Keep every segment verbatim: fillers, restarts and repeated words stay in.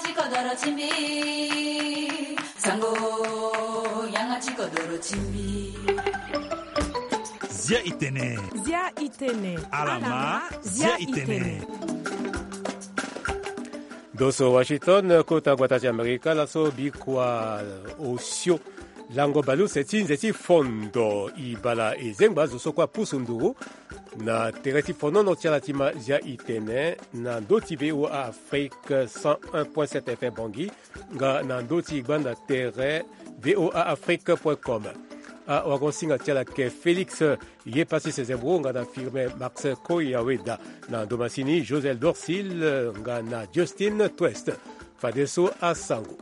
Ti kodoro ti mbi, sango, yanga ti kodoro ti mbi. Zia itene. Zia itene. Alama, zia itene. Doso Washington, kota gbata ti Amerika, laso bikua osio lango baleuse ti nze ti fondo ibala ezengba zo so kue apusu nduru na tere ti fonono ti ala ti ma zia itene na ndö ti V O A Afrique cent un point sept F M Bangui, nga na ndö ti gbanda tere V O A Afrique point com. Awagosinga ti ala ke Félix Ye pasi sezembro nga na firme Max Koyaweda, na ndomasini Josel Dorsil nga na Justin Twest. Fadeso asango.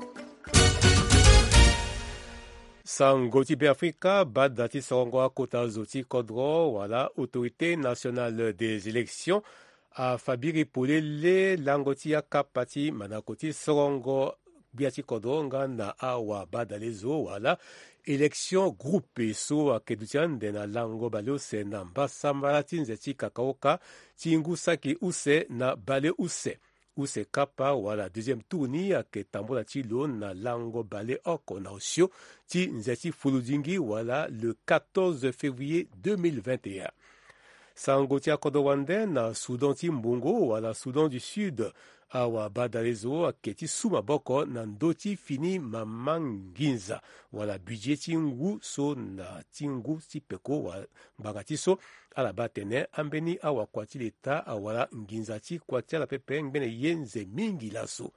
Sango ti Beafrika, bada ti sorongo akota zo ti kodro wala Autorité Nationale des Élections afa biri polele lango ti akapa ti manako ti sorongo gbia ti kodro nga na awabadalezo wala élection groupe so ayeke duti ande na lango baleuse na mbasambala ti nze ti kakaoka ti ngu saki use na baleuse. Use kapa wala deuxième tour ni ayeke tambula ti lo na lango baleoko na osio ti nze ti fuludingi wala le quatorze février deux mille vingt et un. Sango ti akodro wande na Soudan ti mbongo wala Soudan du Sud, awabadalezo ayeke ti su maboko na ndö ti fini mama nginza wala budget ti ngu so na ti ngu ti peko wala ngbanga ti so. Ala baa atene ambeni awakua ti leta awara nginza ti kua ti ala pepe ngbene ye nze mingi laso.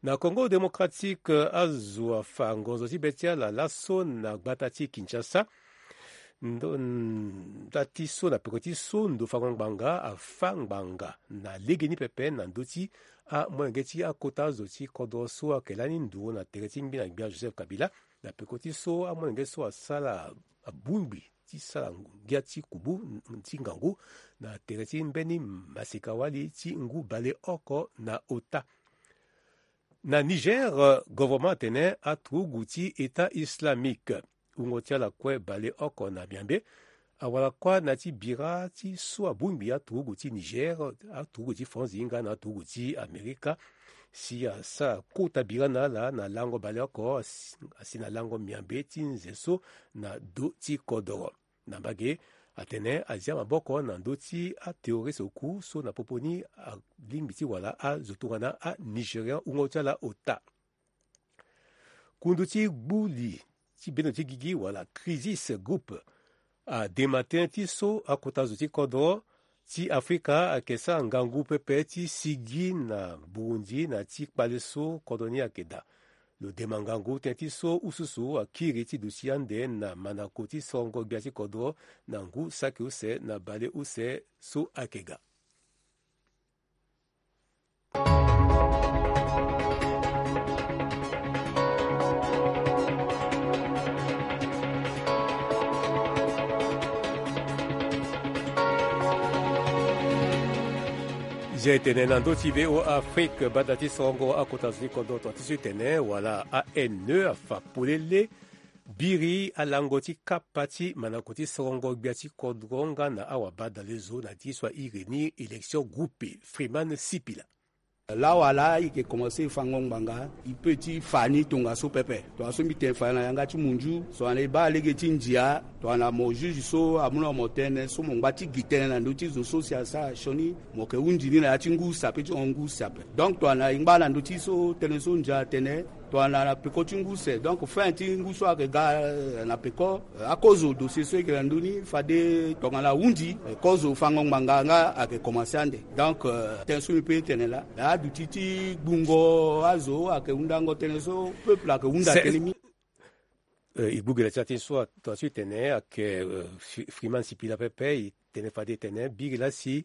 Na Congo Démocratique, azo afa ngonzo ti be ti ala laso na gbata ti Kinshasa. Ndo, nda ti so na peko ti so ndo fango ngbanga afa ngbanga na legeni pepe na ndö ti amolenge ti akota zo ti kodro so ayeke lani nduru na tere ti ngbi na gbia Joseph Kabila. Na peko ti so amolenge so asara abongbi ti sara ngia ti kubu ti ngangu na tere ti mbeni masika wali ti ngu baleoko na ota. Na Niger, gouvernement atene aturugu ti État Islamique, wungo ti ala kue baleoko na miambe, awara kuâ na ti bira ti so abongbi aturugu ti Niger, aturugu ti France nga na aturugu ti Amerika, si asara kota bira na ala na lango baleoko, asi, asi na lango miambe ti nze so na do ti kodoro. Na mbage, atene azia maboko na ndö ti aterroriste oku so na popo ni alingbi ti wara azo tongana aNigérian wungo ti ala ota. Kundu ti gbu li ti bendo ti gigi wala Crisis Group adema tënë ti so akota zo ti kodro ti Afrika ayeke sara ngangu pepe ti sigi na Burundi na ti kpale so kodro ni ayeke daa. Lo dema ngangu tënë ti so ususu akiri ti duti ande na manako ti sorongo gbia ti kodro na ngu saki use na bale use so ayeke ga. Zia e tene na ndö ti V O A Afrique, banda ti sorongo akota zo ti kodro, tongana ti so e tene wala A N E afa polele biri alango ti kapa ti manako ti sorongo gbia ti kodro nga na awabadalezo na ti so airi ni élection groupe Freeman Sipila. Lawala e yeke komanse fango ngbanga, e peut ti fa ni tongaso pepe. Tongaso mbi tene fa na yanga ti munzu, so ane e baa lege ti ndia, tongana mo juge so amu na mo tënë so mo ngba ti gi tënë na ndö ti zo so si asara sioni, mo yeke hundi ni na ya ti ngu use ape ti hon ngu use ape. Donc tongana e ngba na ndö ti so tënë so ndia atene, tongana na peko ti ngu use, donc fin ti ngu so ayeke ga, eh, na peko, eh, akozo dossier so e yeke na ndö ni fade tongana ahundi, eh, kozo fango ngbanga nga ayeke komanse ande. Donc, eh, tënë so mbi peut ti tene laa, aduti ti gbungo azo ayeke hundango tënë so peuple ayeke hunda tënë mingi. Eh, e gbu gi la ti atin so, tongaso e tene ayeke, eh, Fri-, Freeman Sipila pepe, e tene fade e tene biri laa si,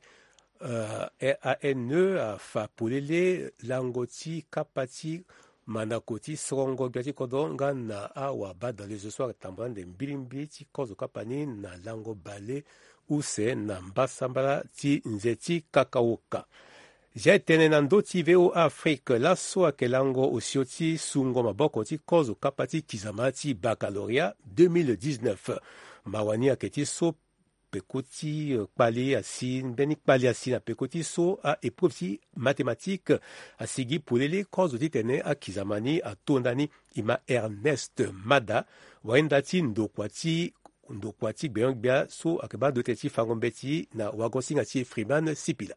eh, A N E afa polele lango ti kapa ti manako ti sorongo gbia ti kodro nga na awabadalezo so atambula ande mbilimbili ti kozo kapa ni na lango bale use na mbasambala ti nze ti kakaoka. Zia e tene na ndö ti V O A Afrique, laso ayeke lango osio ti sungo maboko ti kozo kapa ti kizama ti baccalauréat deux mille dix-neuf. Mawa ni ayeke ti so peko ti kpale asi mbeni kpale asi na peko ti so a-épreuve ti mathématique. Asigi polele kozo titene akizama ni atonda ni. E ma Ernest Mada, wahinda ti ndokua ti ndokua ti gbenyo-gbia so ayeke baa ndo tënë ti fango mbeti na wagosinga ti Freeman Sipila.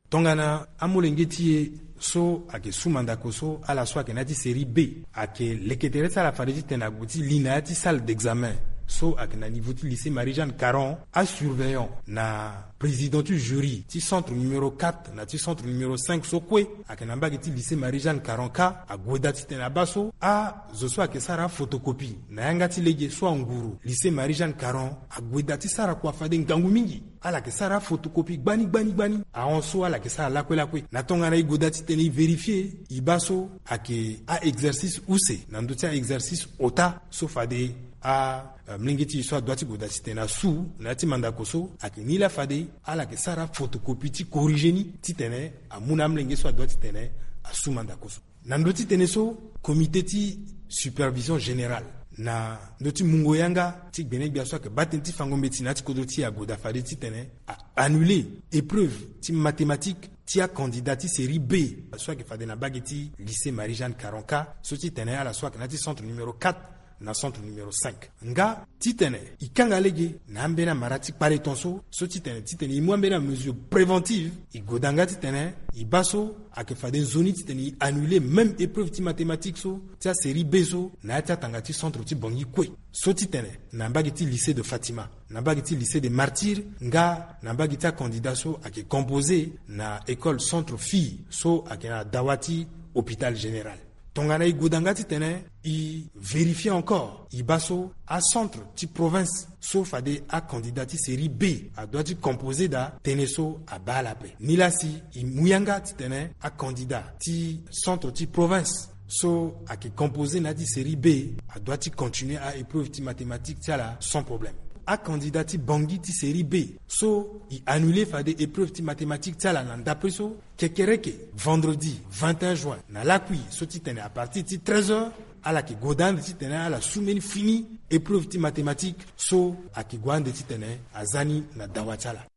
Tongana amolenge ti e so ayeke su mandako so ala so ayeke na ya ti série B ayeke leke tere ti ala fade titene ague ti li na ya ti salle d'examen so ayeke na niveau ti lycée Marie-Jeanne Caron, asurveillant na président ti jury ti centre numéro quatre na ti centre numéro cinq so kue ayeke na mbage ti lycée Marie-Jeanne Caron kâ ague daa titene abaa so azo so ayeke sara photocopie na yanga ti lege so anguru lycée Marie-Jeanne Caron ague daa ti sara kua fade ngangu mingi. Ala yeke sara photocopie gbani gbani gbani ahon so ala yeke sara lakue lakue. Na tongana e gue daa titene e vérifier, e baa so ayeke a-exercice use na ndö ti a-exercice ota so fade a, eh, molenge ti e so adoit ti gue daa titene asu na ya ti mandako so ayeke ni laa fade ala yeke sara photocopie ti corriger ni titene amu na amolenge so adoit titene asu mandako so. Na ndö ti tënë so, comité ti supervision générale na ndö ti mungo yanga ti gbenegbia so ayeke baa tënë ti fango mbeti na ya ti kodro ti e ague daa fade titene a-annuler épreuve ti mathématique ti acandidat ti série B so ayeke fade na mbage ti lycée Marie-Jeanne Caron kâ so titene ala so ayeke na ya ti centre numéro quatre na centre numéro cinq. Nga titene e kanga lege na ambeni amara ti kpale ton so, so titene titene e mu ambeni amesure préventive, e gue daa nga titene e baa so ayeke fade nzoni titene e annuler même épreuve ti mathématique so ti asérie B so na ya ti atanga ti centre ti Bangui kue. So titene na mbage ti lycée de Fatima, na mbage ti lycée de Martyrs, nga na mbage ti acandidat so ayeke composer na école centre fille so ayeke na dawa ti hôpital général. Tongana e gue daa nga titene e vérifier encore, e baa so acentre ti province so fade acandidat ti série B adoit ti composer daa, tënë so abaa ala ape. Nilaa si e mu yanga titene acandidat ti centre ti province so ayeke composer na ya ti série B adoit ti continuer a-épreuve ti mathématique ti ala sans problème. Acandidat ti Bangui ti série B so e annuler fade épreuve ti mathématique ti ala na ndapre so, kekereke vendredi vingt et un juin na lakui so titene à partir ti treize heures ala yeke gue daa ande titene ala su mbeni fini épreuve ti mathématique so ayeke gue ande titene aza ni na dawa ti ala.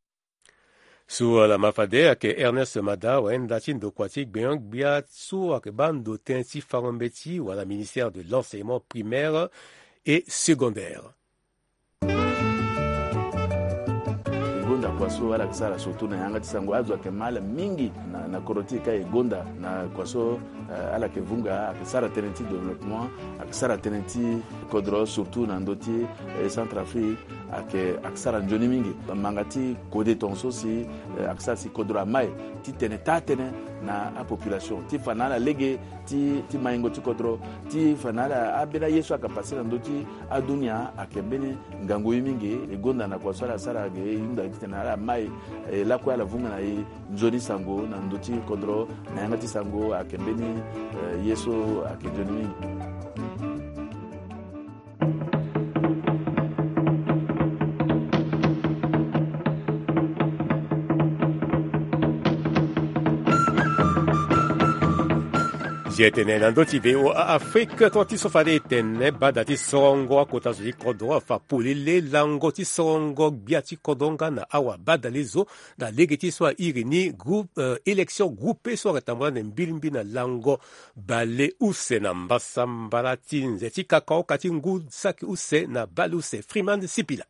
So ala ma fade ayeke Ernest Mada, wahinda ti ndokua ti gbenyo-gbia so ayeke baa ndo tënë ti fango mbeti wala ministère de l'enseignement primaire et secondaire. E gonda kua so ala yeke sara surtout na yanga ti sango, azo ayeke ma ala mingi na, na kodro ti e kâ e gonda na kua so, eh, ala yeke vunga, ayeke sara tënë ti développement, ayeke sara tënë ti kodro surtout na ndö ti, eh, Centrafrique, ayeke, ayeke sara nzoni mingi. Manga ti kode tongaso si, eh, ayeke sara si kodro amai titene taa tënë na apopulation ti fa na ala lege ti, ti maingo ti kodro, ti fa na ala ambeni aye so ayeke pase na ndö ti adunia ayeke mbeni ngangu ye mingi. E gonda na kua so ala sara ge, e hunda titene ala mai, e lakue ala vunga na e nzoni sango na ndö ti kodro na yanga ti sango ayeke mbeni, eh, ye so ayeke nzoni mingi. Zia tene na ndö ti V O A Afrique, tonga ti so fade e tene bada ti sorongo akota zo ti kodro afa polele lango ti sorongo gbia ti kodro nga na awa badale zo na lege ti so airi ni groupe, euh, élection groupée so ayeke tambula ande mbilimbi na lango bale use na mbasambala ti nze ti kakaoka ti ngu saki use na bale use. Freeman Sipila.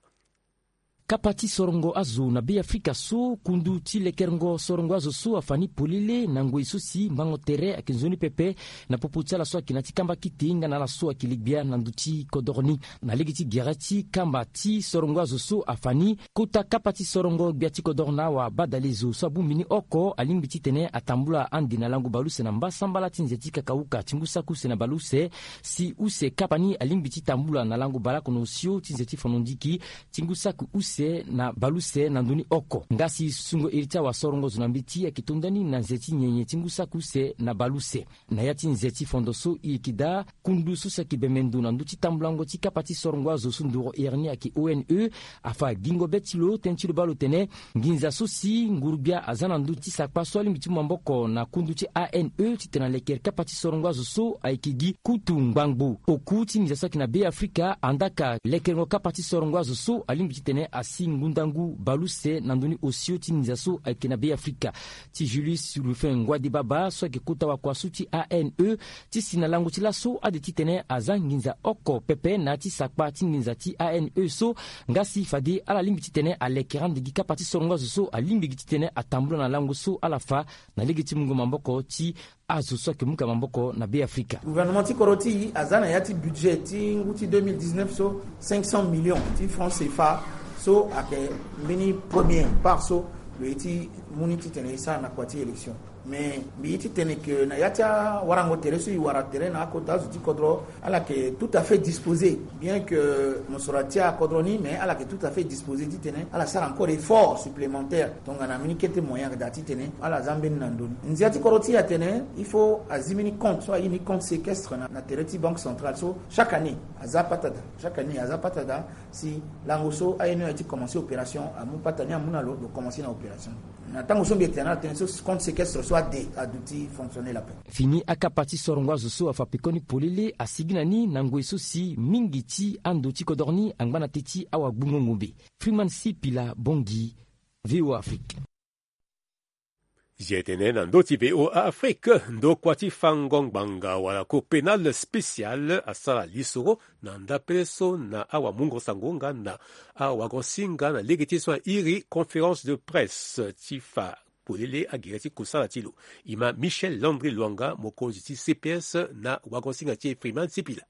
Kapa ti sorongo azo na Be Afrika so kundu ti lekerengo sorongo azo so afa ni polele na ngoi so si mbango tere ayeke nzoni pepe na popo ti ala so ayeke na ti kamba kite nga na ala so ayeke li gbia na ndö ti kodoro ni. Na lege ti gere ti kamba ti sorongo azo so afa ni, kota kapa ti sorongo gbia ti kodoro na awa badale zo so abongbi ni oko alingbi titene atambula ande na lango bale use na mbasambala ti nze ti kakauka ti ngu saki use na bale use, si use kapa ni alingbi ti tambula na lango baleoko na osio ti nze ti fondo ndiki ti ngu saki use. use na baleuse na ndö ni oko. Nga si sungo iri ti awasorongo zo na mbeti ayeke to ndani na nze ti nyenye ti ngu saki use na baleuse. Na ya ti nze ti fondo so e yeke daa kundu so si ayeke bembe ndo na ndö ti tambulango ti kapa ti sorongo azo so nduru iri ni ayeke O N E, afa gingo be ti lo tënë ti lo baa lo tene nginza so si nguru-gbia aza na ndö ti sakpa so alingbi ti mu maboko na kundu ti A N E titene alekere kapa ti sorongo azo so ayeke gi kutu ngbangbo. Oku ti nginza so ayeke na Be Afrika, andaa ka lekerengo kapa ti sorongo azo so alingbi titene asi ngundangu baleuse na ndö ni osio ti nginza so ayeke na Be Afrika. Ti Julius Rufin Ngwadibaba so ayeke kota wakua so ti A N E, ti si na lango ti laso ade titene aza nginza oko pepe na ya ti sakpa ti nginza ti A N E so, nga si fade ala lingbi titene alekere ande gi kapa ti sorongo azo so alingbi gi titene atambula na lango so ala fa na lege ti mungo maboko ti azo so ayeke mu ka maboko na Be Afrika. Gouvernement ti kodro ti e aza na ya ti budget ti ngu ti deux mille dix-neuf so cinq cents millions ti francs C F A so ayeke mbeni premier part so lo ye ti mu ni titene e sara na kua ti élection. Mais mbi ye ti tene ke na ya ti awarango tere so e wara tere na akota azo ti kodro, ala yeke tout à fait disposé. Bien que mosoro atia kodro ni, mais ala yeke tout à fait disposé titene ala sara encore effort supplémentaire. Tongana mbeni kete moyen ayeke daa titene ala za mbeni na ndö ni. Nzia ti kodro ti e atene il faut azi mbeni compte so aye ni compte séquestre na, na tere ti banque centrale so chaque année aza pata daa. Chaque année aza pata daa si lango so A N E aye ti commencer opération amu pata ni amu na lo, lo commencer na opération. Na tango so mbi yeke tene na ala tënë so compte séquestre so ade aduti fonctionnel ape. Fini akapa ti sorongo azo so afa pekoni polele asigi na ni na ngoi so si mingi ti ando ti kodro ni angba na teti awagbungo ngombe. Freeman Sipila Bongi, V O A Afrique. Zia tene na ndö ti V O A Afrique, ndokua ti fango ngbanga wala Cour pénale spéciale asara lisoro na ndapele so na awamungo sango nga na awagosinga na lege ti so airi conférence de presse ti fa polele agere ti kusala ti lo. E ma Michel Landry Luanga, mokonzi ti C P S na wagosinga ti e Freeman Sipila.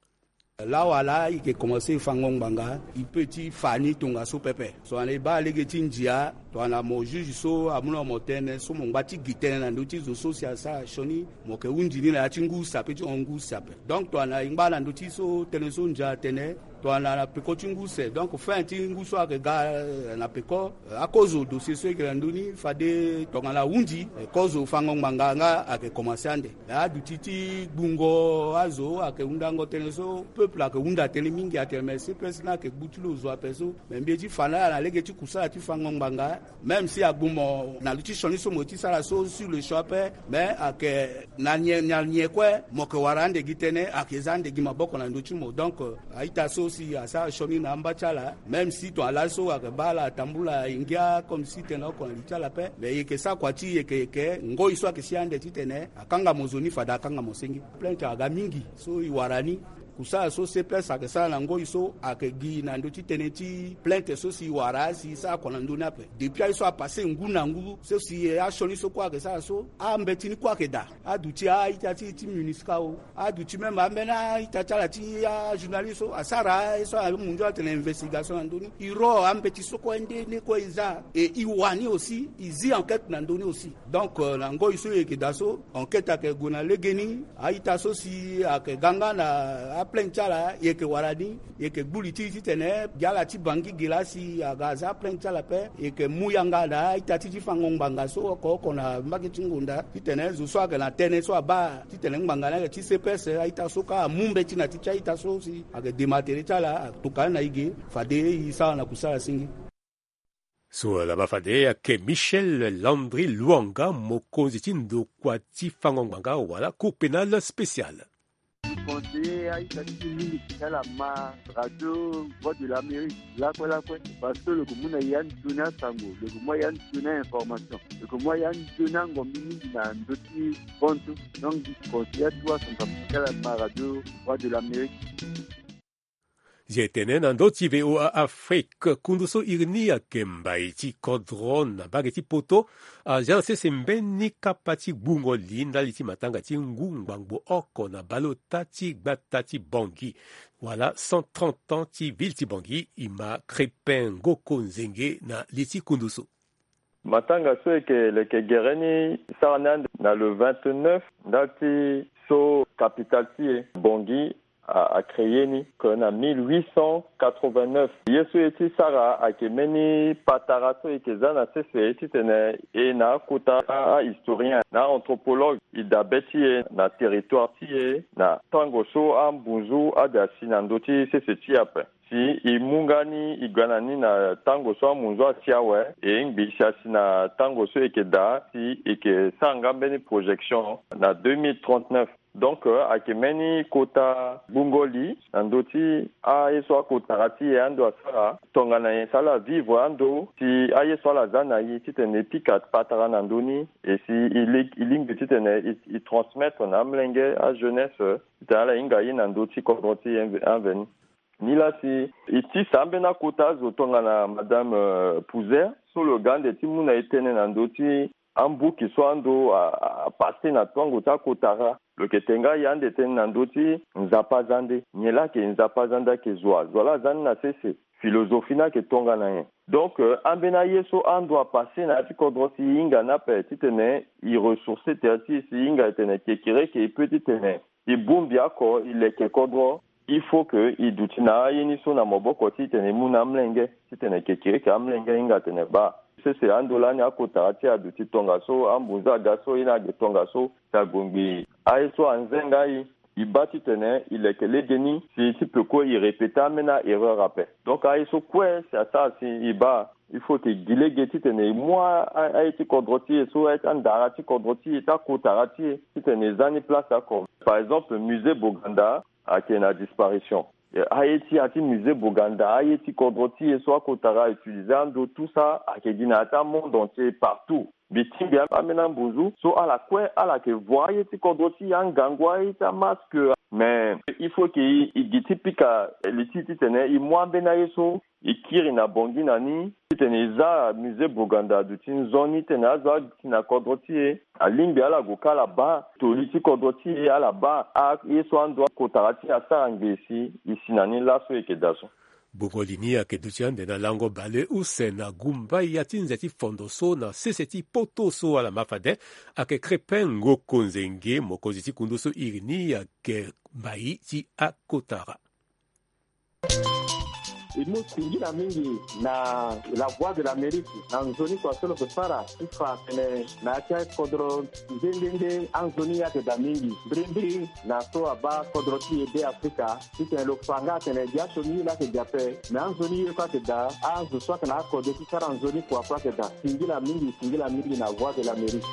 Laa wala e yeke komanse fango ngbanga, e peut ti fa ni tongaso pepe. So ane e baa lege ti ndia, tongana mo juge so amu na mo tënë so mo ngba ti gi tënë na ndö ti zo so si asara sioni, mo yeke hunzi ni na ya ti ngu use ape ti hon ngu use ape. Donc tongana e ngba na ndö ti so tënë so ndia atene, tongana na peko ti ngu use, donc fin ti ngu so ayeke ga, eh, na peko, eh, akozo dossier so e yeke na ndö ni fade tongana ahunzi, eh, kozo fango ngbanga nga ayeke komanse ande. Aduti ti gbungo azo ayeke hundango tënë so peuple ayeke hunda tënë mingi atene me C P S ni ayeke gbu ti lo zo ape so. Me mbi ye ti fa na ala na lege ti kusala ti fango ngbanga. Même si agbu mo na li ti sioni so mo ye ti sara so sur le champ ape, mais ayeke na nyen, na nyen kue mo yeke wara ande gi tënë, ayeke za ande gi maboko na ndö ti mo. Donc, euh, a-ita so si asara sioni na amba ti ala, même si tongana laso ayeke baa ala atambula e ngia comme si tënë oko na li ti ala ape, mais e yeke sara kua ti e yeke, yeke ngoi so ayeke si ande titene akanga mo zo ni fade akanga mo senge. Plainte aga mingi so e wara ni. Kusala so C P S ayeke sara na ngoi so ayeke gi na ndö ti tënë ti plainte so si e wara si e sara kua na ndö ni ape. Depuis aye so apasse ngu na ngu so si asioni so kue ayeke sara so, ambeti ni kue ayeke daa. Aduti a-ita ti, ti MINUSCA o, aduti même ambeni a-ita ti ala ti ajournaliste so asara aye so amu ndio atene investigation na ndö ni. E ro ambeti so kue nde, nde kue e za. E, e wani aussi, e zi enquête na ndö ni aussi. Donc, euh, na ngoi so e yeke daa so, enquête ayeke gue na legeni, a-ita so si ayeke ga nga na aplainte ti ala, e yeke wara ni, e yeke gbu li ti e titene gi ala ti Bangui ge laa si aga aza aplainte ti ala ape, e yeke mu yanga na a-ita ti ti fango ngbanga so oko oko na mbage ti ngonda, titene zo so ayeke na tënë so abaa titene ngbanga ni ayeke ti C P S, a-ita so kâ amu mbeti na ti ti a-ita so si ayeke dema tere ti ala, atoka ni na e ge, fade e sara na kusala senge. So laba fade ayeke Michel Landry Luanga, mokonzi ti ndokua ti fango ngbanga wala Cour pénale spéciale. Mbi conseiller a-ita ti mbi mingi ti ala ma radio Voix de l'Amérique lakue lakue, parce que lo yeke mu na e anzoni asango, lo yeke mu a e anzoni a-information, lo yeke mu a e anzoni angombi mingi na ndö ti bonzo. Donc mbi conseiller atuwa asango ti ala ma radio Voix de l'Amérique. Zi etene na ndö ti V O A Afrique, kundu so iri ni ayeke mbai ti kodro na mbage ti poto, azia na sese mbeni kapa ti gbungo li ndali ti matanga ti ngu ngbangbo oko na baleota ti gbata ti Bangui, wala cent trente ans ti ville ti Bangui. E ma Crépin Ngoko Nzenge na li ti kundu so. Matanga so eke leke gere ni sara ni ande na le vingt-neuf ndali ti so capitale ti e Bangui a, a créer ni que na mille huit cent quatre-vingt-neuf. Ye so e ti sara ayeke mbeni patara so e yeke za na sese titene e na akota ahistorien na anthropologue, e dabe ti e na territoire ti e na tango so ambunzu ade asi na ndö ti sese ti e ape. Si e mu nga ni e ga na ni na tango so amunzu asi awe, e ngbi si asi na tango so e yeke daa si e yeke sara nga mbeni projection na deux mille trente-neuf. Donc, euh, ayeke mbeni kota gbungo li na ndö ti aye so akotara ti e ando asara tongana nyen si ala vivre ando si aye so ala za na e titene e pika patara na ndö ni, e si e li- e lingbi titene e, e transmettre na amolenge ajeunesse, euh, titene ala hinga ye na ndö ti kodro ti e anve- anveni. Nilaa si e tisa ambeni akota azo tongana madame, euh, Pouzer so lo ga ande ti mu na e tënë na ndö ti ambuki so ando a, a, a passe na tongo ti akotara. Lo yeke te nga e ande tënë na ndö ti Nzapa Zande. Nyen laa ayeke Nzapa Zande? Ayeke zo wa? Zo wa laa aza ni na sese? Philosophie ni ayeke tongana nyen? Donc, euh, ambeni aye so ando apasse na ya ti kodro ti e hinga ni ape titene e ressourcer tere ti e si e hinga e tene kekereke e peut titene e bongbi oko e leke kodro. Il faut que e duti na aye ni so na maboko titene e mu na amolenge titene kekereke amolenge ahinga atene baa, sese ando lani akotara ti e aduti tongaso, ambunzu aga so, ye ni age tongaso, si ague ngbii aye so anze nga e, e baa titene e leke legeni si ti peko e répéter ambeni a-erreur ape. Donc aye so kue si asara si e baa, il faut que e gi lege titene e mu a- a- aye ti kodro ti e so, aye ti andara ti kodro ti e, ti akotara ti e, titene e za ni place oko. Par exemple, musée Boganda ayeke na disparition. Aye ti ya ti musée Boganda, aye ti kodro ti e so akotara a utiliser ando, tout ça ayeke gi na ya ti amonde entier partout. Mbi tingbi ambeni ambunzu so ala kue ala yeke vo aye ti kodro ti e, angangu, aye ti amasque. Mais il faut que e gi ti pika li ti e titene e mu ambeni aye so e kiri na Bangui na ni titene e za musée Boganda aduti nzoni titene azo aduti na kodro ti e alingbi ala gue ka ala baa toli ti kodro ti e, ala baa aye so ando akotara ti e asara ngbii si e si na ni laso e yeke daa so. Gbungo li ni ayeke duti ande na lango bale use na gumba ya ti nze ti fondo so na sese ti poto so ala ma fade. Ayeke Crépin Ngoko Nzenge, mokonzi ti kundu so iri ni ayeke mbai ti akotara. E mu singila mingi na La Voix de l'Amérique na nzoni kua so lo yeke sara ti fa atene na ya ti akodro nde nde nde anzoni ayeke daa mingi. Mbirimbiri na so abaa kodro ti e Be Afrika, titene lo fa nga atene dia sioni ye laa ayeke daa ape, me anzoni ye kue ayeke daa. Azo so ayeke na akode ti sara nzoni kua kue ayeke daa. Singila mingi, singila mingi na Voix de l'Amérique.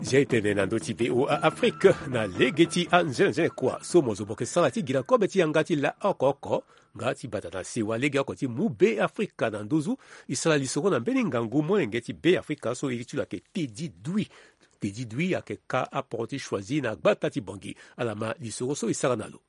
Zia e tene na ndö ti V O A Afrique na lege ti anzenze kua so mo zo mo yeke sara ti gi na kobe ti yanga ti laoko oko nga ti bata na sewa legeoko ti mu Be Afrika na nduzu. E sara lisoro na mbeni ngangu molenge ti Be Afrika so iri ti lo ayeke Teddy Dui. Teddy Dui ayeke ka aporo ti Choisy na gbata ti Bangui. Ala ma lisoro so e sara na lo.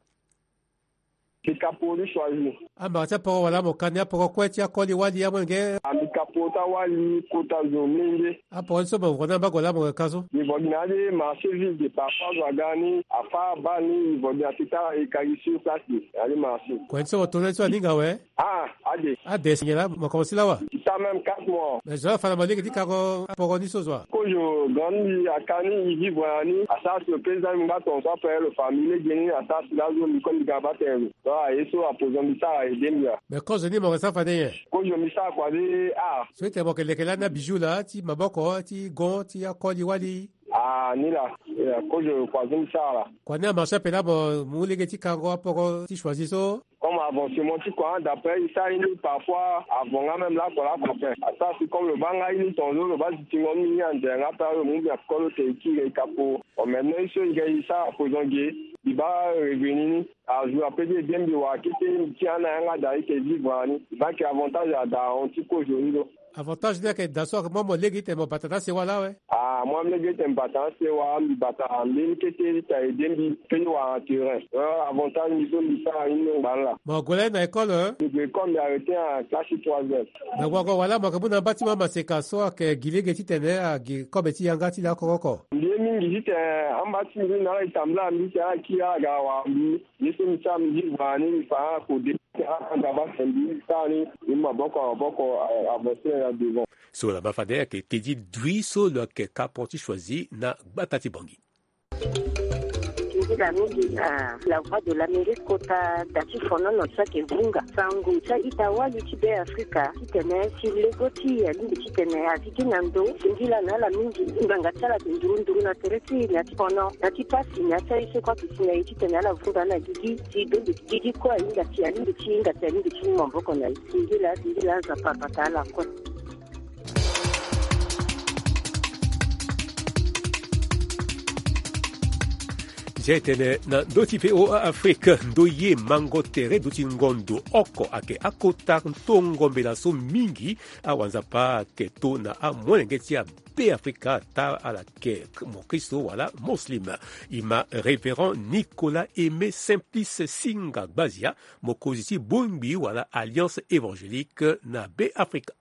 Mbi ka poro ti Choisy. Amara ti aporo wala mo ka ni aporo kue ti akoli wali amolenge? Ah, mbi ka poro ti awali kota zo mlenge. Aporo ni so mo vo ni amba gue laa mo yeke ka so? Mbi vo gi na ya ti marché ville de, parfois zo aga ni, afâ abaa ni, mbi vo gi na ti tara e ka gi sur place de, na ya ti marché. Kue ni so mo to na ni so aninga awe? Ah, ade. Ade si nyen laa mo komanse laa wa? Ti sara même quatre mois. Mais zo la fa na mo lege ti kango aporo ni so zo wa? Kozo grand ni aka ni, e vivre na ni, asara si lo président ni mo nga tongaso, après lo fa mbi lege ni, asara si lazo mbi kue mbi ga na baa tene lo. Donc aye so apozo mbi sara aye de mbi ya. Mais kozo ni mo yeke sara fade nyen? Kozo mbi sara kua de ah. So ete mo yeke leke lani abijou laa ti maboko, ti gon, ti akoli wali? Ah, ni laa. Eh, kozo kua so mbi sara laa. Kua ni amarché ape laa mo mu lege ti kango aporo ti Choisy so? Comme avancement ti kua, d'après e sara ye ni parfois avant nga même lakue lakue ape. Asara si comme lo baa nga ye ni tongaso, lo baa zi ti ngon ni, ni ande nga ape, lo mu mbi na kolo te e kiri e ka poro. Bon, maintenant ye so e ga e sara apozo ge, mbi baa revenu ni. Azo ape ti e de mbi wara kete, mbi ti na yanga daa, e yeke vivre na ni. E baa ayeke avantage daa ahon ti kozo ni lo. Avantage ni ayeke daa so, mo, mo lege ti tene mo bata na asewa laa awe? Ah, mo, mo lege ti tene mbi bata na asewa, mbi bata mbeni kete ti tene e de mbi pe ti wara na terrain. Eh, avantage mbi so mbi sara ni ngbani laa. Mo gue lani na école, eh? Mbi gue école, mbi arrêté na classe ti troisième. Me wago wala mo yeke mu na mbâ ti mo amaseka so ayeke gi lege ti tene agi kobe ti yanga ti laoko oko? Mbi ye mingi ti tene ambâ ti mbi ni ala tambula mbi ti ala kiri ala ga wara mbi. Ye so mbi sara mbi vivre na ni, mbi fa akode ti ala anga baa tene mbi sara ni, mbi mu maboko na maboko, eh, avancer na devant. So la ma fade ayeke tedi dui so lo yeke kapro ti choisi na gbata ti Bangui. Ndila mingi na la Voix de l'Amérique kota da ti fonono so ayeke vunga sango ti a-ita wali ti Be Afrika titene si lego ti e alingbi titene azi gi na ndo. Ndila na ala mingi ngbanga ti ala ayeke nduru nduru na tere ti e na ya ti fono na ti pasi na ya ti aye so kue ayeke si na e titene ala vunga na gigi si donde gigi kue ahinga ti alingbi ti hinga ti alingbi ti mu maboko na e. Singila singila Nzapa abata ala kue. Nzia etene na ndö ti V O A Afrique, ndoye mango tere duti ngondo oko ayeke akota tongo mbela so mingi awanzapa ayeke to na amolenge ti abe Afrika, ata ala yeke mokristo wala muslim. E ma Révérend Nicolas Aimé Simplice Singa Gbazia, mokonzi ti bongbi wala Alliance Évangélique na be Afrika.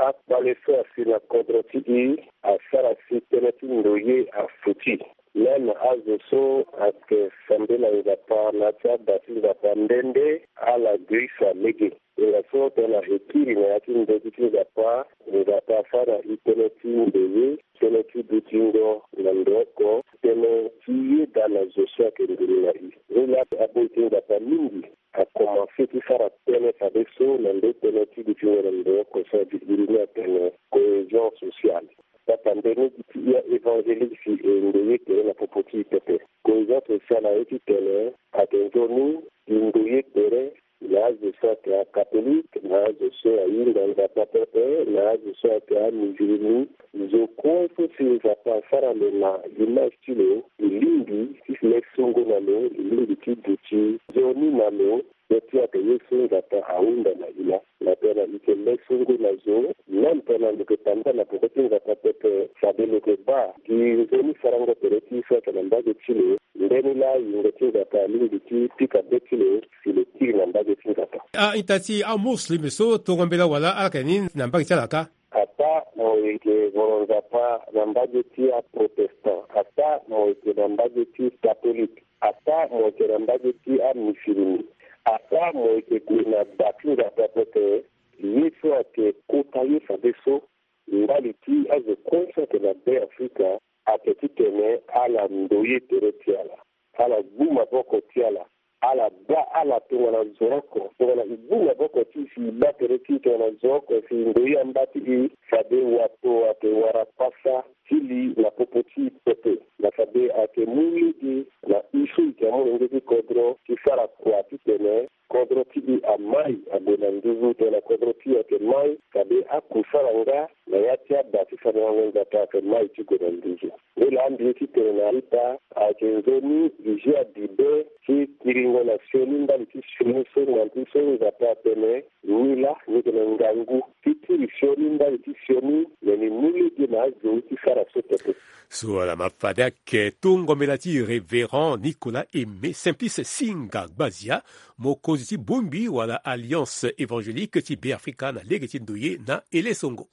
Akpale so asi na kodro ti e asara si tënë ti ndoye afuti. Même azo so ayeke sambela Nzapa na ya ti ada ti Nzapa nde nde ala grisa lege. Nga so tongana e kiri na ya ti ndö ti ti Nzapa, Nzapa asara e tënë ti ndoye, tënë ti dutingo na ndo oko, tënë ti yeda na zo so ayeke nduru na e. Nilaa aboi ti Nzapa mingi akomanse ti sara tënë fadeso na ndo tënë ti dutingo na ndo oko so adi iri ni atene cohésion sociale. Papa nde ni gi ti ya évangélique si e ndoye tere na popo ti e pepe. Cohésion sociale aye titene ayeke nzoni e ndoye tere na azo so ayeke acatholique, na azo so ahinga Nzapa pepe, na azo so ayeke amusulmi. Zo kue so si Nzapa asara lo na image ti lo, e lingbi ti lesongo na lo, e lingbi ti duti nzoni na lo. Ye ti ayeke ye so Nzapa ahunda na e laa. Na tongana e yeke lesongo na zo, même tongana lo yeke tambula na peko ti Nzapa pepe, fade lo yeke baa gi nzoni sarango tere ti e so ayeke na mbage ti lo. Ndeni laa yingo ti Nzapa alingbi ti pika be ti lo si lo kiri na mbage ti Nzapa. A-ita ti amuslim so tongo mbela wala ala yeke ni na mbage ti ala kâ? Ataa mo yeke voro Nzapa na mbage ti aprotestant, ataa mo yeke na mbage ti katolike, ataa mo yeke na mbage ti amisilimi, ataa mo yeke gue na da ti Nzapa pepe, ye so ayeke kota ye fadeso, ndali ti azo kue so ayeke na Be Afrika, ayeke titene ala ndoye tere ti ala, ala gbu maboko ti ala, ala baa ala tongana zo oko. Tongana e gbu maboko ti e si e baa tere ti e tongana zo oko si e ndoye amba ti e, fade wato ayeke wara pasa ti li na popo ti e pepe. Na fade ayeke mu lege na e so e yeke amolenge ti kodro ti sara kua titene kodro ti e amai ague na nduzu tongana kodro ti e ayeke mai, fade akusala nga na ya ti ada ti fandango Nzapa ayeke mai ti gue na nduzu. Nilaa mbi ye titene na a-ita ayeke nzoni e zi adibe ti kiringo na sioni ndali ti sioni so ngangu so Nzapa atene, nilaa ni yeke na ngangu ti kiri sioni ndali ti sioni, me ni mu lege na azo ti sara so pepe. So ala ma fade ayeke tongo mbela ti Révérend Nicolas Aimé Simplice Singa Gbazia, mokonzi ti bongbi wala Alliance Évangélique ti Be Afrika na lege ti ndoye na elesongo.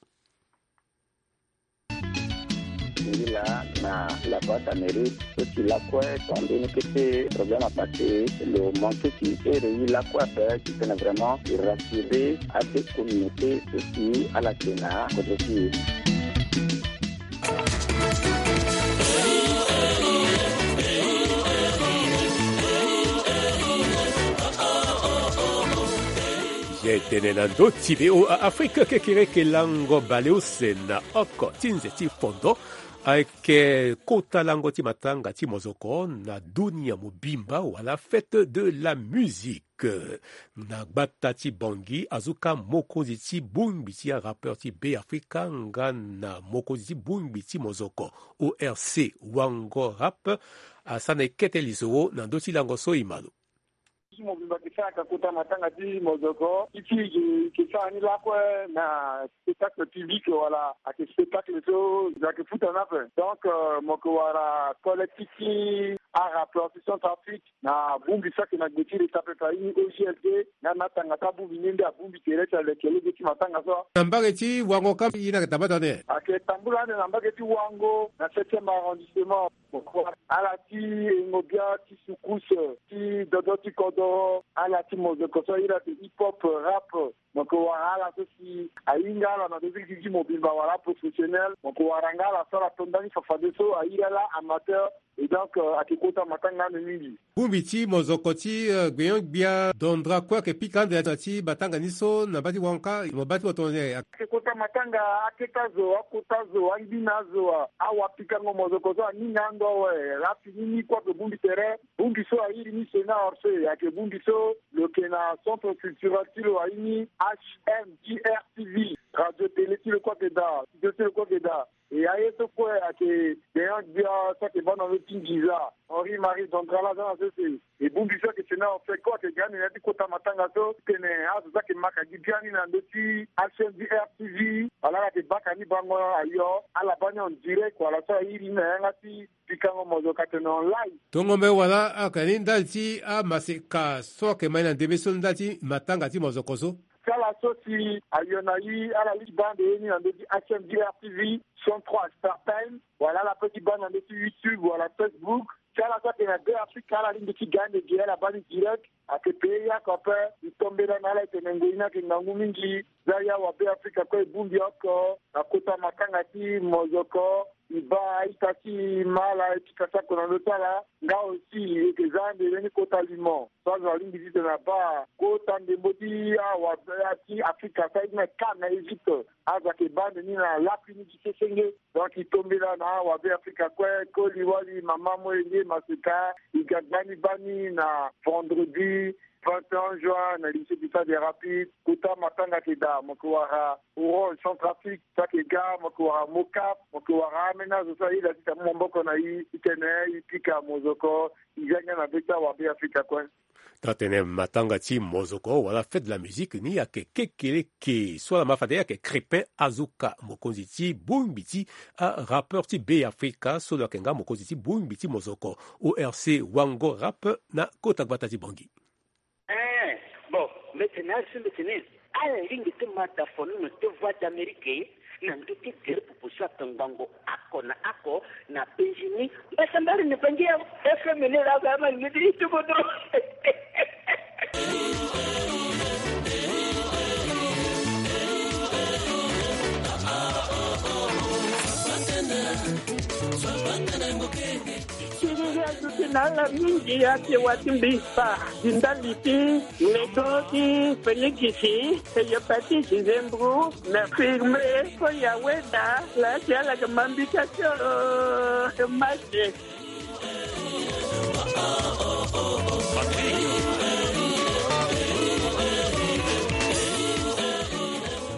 Nzila na la Voix d'Amérique so ti lakue, tongana mbeni kete problème apassé, lo manqué ti ere e lakue ape titene vraiment e rassurer ade communauté so si ala yeke na kodro ti e. Ye tene na ndö ti V O A Afrique, kekereke lango baleuse na oko ti nze ti fondo ayeke kota lango ti matanga ti mozoko na dunia mobimba wala fête de la musique. Na gbata ti Bangui, azo ka mokonzi ti bongbi ti arappeur ti Be Afrika nga na mokonzi ti bongbi ti mozoko O R C Wango Rap asara na e kete lisoro na ndö ti lango so e ma lo. Ti mobimba ke sara ka kota matanga ti mozoko, ti ti ke sara ni lakue na spectacle public wala ayeke spectacle so ayeke futa ni ape. Donc, euh, mo yeke wara collectif ti arappeur ti Centrafrique na bongbi so ayeke na gbe ti leta pepe, aye ni O G L D, nga na tanga ti abongbi ni nde abongbi tere ti aleke lege ti matanga so. Na mbage ti Wango ka, ye ni ayeke tambula ande? Ayeke tambula ande na mbage ti Wango, na septième arrondissement. Ala ti engo bia ti soukous, ti dodo ti kodoro, ala ti mozoko so aye ni ayeke hip hop, rap. mo yeke wara ala so si ahinga ala na ndö ti gi ti mobimba wala aprofessionnel, mo yeke wara nga ala so ala to ndani fafadeso, airi ala amateur. Et donc, euh, ayeke kota matanga ande mingi. Bongbi ti mozoko ti, euh, gbenyo-gbia Dondra kue ayeke pika ande na ya ti matanga ni so na mbage ti Wanka, mo baa ti mo tongana nyen? Ayeke kota matanga akete azo, akota azo, angbina azo, a, awapikango mozoko so aninga ando awe. Afini ni kue ayeke bongbi tere. Bongbi so airi ni Sénat Orsay, ayeke bongbi so lo yeke na centre culturel ti lo airi ni H M D R T V, radio télé ti lo kue ayeke daa, studio ti lo kue ayeke daa. E aye so kue ayeke gbenyo-gbia so ayeke baa na ndö ti nginza, Henri Marie Dondra laa aza na sese. E bongbi so ayeke Sénat Orsay kue ayeke ga ande na ya ti kota matanga so, titene azo so ayeke maka gi biani na ndö ti H M D R T V, ala ala yeke baka ni bango ayo, ala baa ni en direct wala so airi ni na yanga ti pikango mozoko atene en live. Tongombe wala ayeke ni ndali ti amaseka so ayeke mai na ndembe so ndali ti matanga ti mozoko so. Ti ala so si ayo na i, ala lingbi baa ande ye ni na ndö ti H M D R T V, chaîne trois Star Time, wala ala peut ti baa ni na ndö ti YouTube wala Facebook. Ti ala so ayeke na Beafrika, ala lingbi ti ga ande ge, ala baa ni direct. Ayeke payé yaka ape. E tombela na ala, e tene ngoi ni ayeke ngangu mingi. Za ya wa Beafrika kue e bongbi oko na kota matanga ti mozoko. E baa a-ita ti e ma ala, e pika sako na ndö ti ala. Nga aussi e yeke za ande lani kota limo so azo alingbi titene abaa kota ndembo ti awa ti Afrika so aye ti na CAN na Égypte. Azo ayeke baa ande ni na lakui ni ti sesenge. Donc e tombela na awa Beafrika kue, koli wali mama molenge maseka. E ga gbani baa ni na vendredi vingt et un juin na lycée du Stade des Rapides. Kota matanga ayeke daa, mo yeke wara Orange, Centrafrique so ayeke ga, mo yeke wara Mocap, mo yeke wara ameni azo so aye da ti ta mu maboko na e titene e pika mozoko, e za ngia na be ti awa Beafrika kue. Taa tene matanga ti mozoko wala fête de la musique ni ayeke kekeleke so ala ma fade ayeke Crépin Azuka, mokonzi ti bongbi ti arappeur ti Beafrika so lo yeke nga mokonzi ti bongbi ti mozoko O R C Wango Rap na kota gbata ti Bangui. Eh, bon, mbeti ni asi mbeti ni. Ala lingbi ti ma da fonono ti Voix d'Amérique na ndö ti gere pupu so ayeke ngbongo oko na oko na penzi ni. Mbasambari ni Bangui ya F M ni laa ga ma ni ti ti kodro. Siriri aduti na ala mingi, ake wa ti mbi fa. Di ndali ti ledo ti Feligisi, eyo pati Dizembru, na firme, ko ya weda, laa ti ala yeke ma mbi ti ake, o, mase.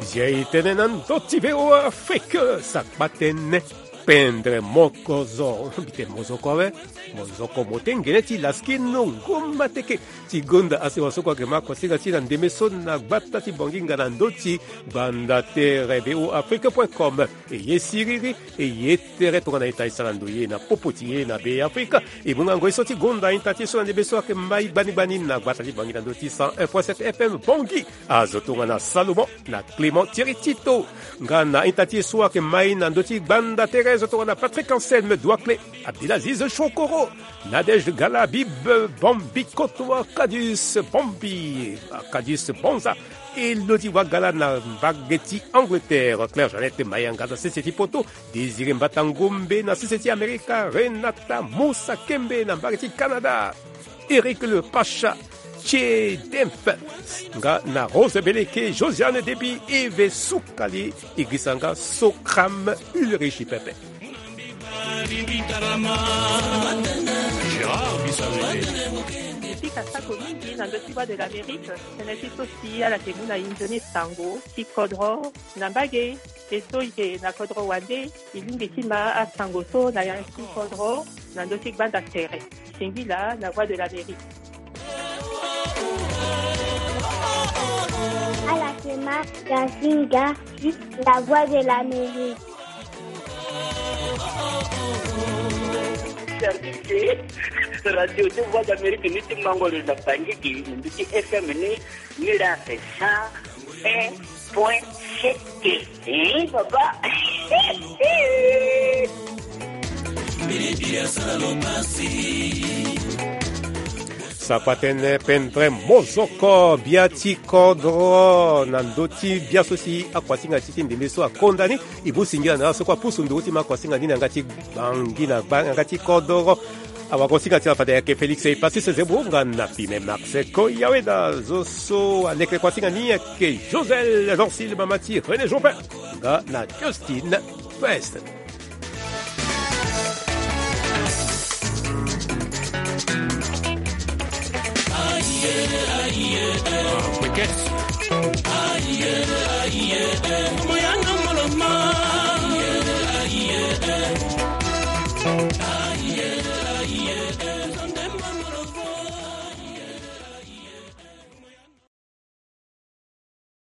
Zia e tene na ndö ti V O A Afrique, sakpa tënë. Pendre moko zo, mbi tene mozoko awe, mozoko mo tengene ti laskino ngoma teke. Ti gonda asewa so kue ayeke ma kosinga ti na ndembe so na gbata ti Bangui nga na ndö ti gbanda tere V O A Afrique point com. E ye siriri, e ye tere tongana ita e sara ndo ye na popo ti e na Beafrika. E mu nga ngoi so ti gonda a-ita ti e so na ndembe so ayeke mai gbani gbani na gbata ti Bangui na ndö ti cent un point sept F M Bangui. Azo tongana Salomon na Clément Thierry Tito. Nga na a-ita ti e so ayeke mai na ndö ti gbanda tere, zo tongana Patrick Anselme Douaclé, Abdelaziz Chokoro, Nadège Gala, Bible Bambi, Koto Arcadius Bambi, Arcadius Bonza, Elodie Wagala na mbage ti Angleterre, Claire Jeannette Mayanga na sese ti poto, Désiré Mbata Ngombe na sese ti Amerika, Renata Musa Kembe na mbage ti Canada. Eric Le Pacha, Che Demp, nga na Rose Beleke, Josiane Debi, Eve Sukali, e girisa nga Sokram Ulrich Pepe. E pika sako mingi na ndö ti Voix de l'Amérique, tënë ti so si ala yeke mu na e nzoni sango ti kodro na mbage. E so e yeke na kodro wande, e lingbi ti ma asango so na ya ti kodro na ndö ti gbanda tere. Singila na Voix de l'Amérique. Ala yeke ma Gazinga ti la Voix de l'Amérique. Service ti radio ti Voix d'Amérique ni ti mango lo na Bangui gi na ndö ti F M ni. Ni la cent un point sept. Eh, papa. Bilibili asala lo pasi. Sapa tënë pendre mozoko bia ti kodro na ndö ti bia so si akuasinga ti ti ndembe so akonda ni. E mu singila na ala so kue apusu nduru ti ma kuasinga ni na yanga ti gbangi na gba na yanga ti kodro. Awagosinga ti ala fade ayeke Félix Epassis Zebro nga na Pime Max Koyaweda. Zo so aleke kuasinga ni ayeke Josel Dorsil, mama ti René Joubert nga na Justin West.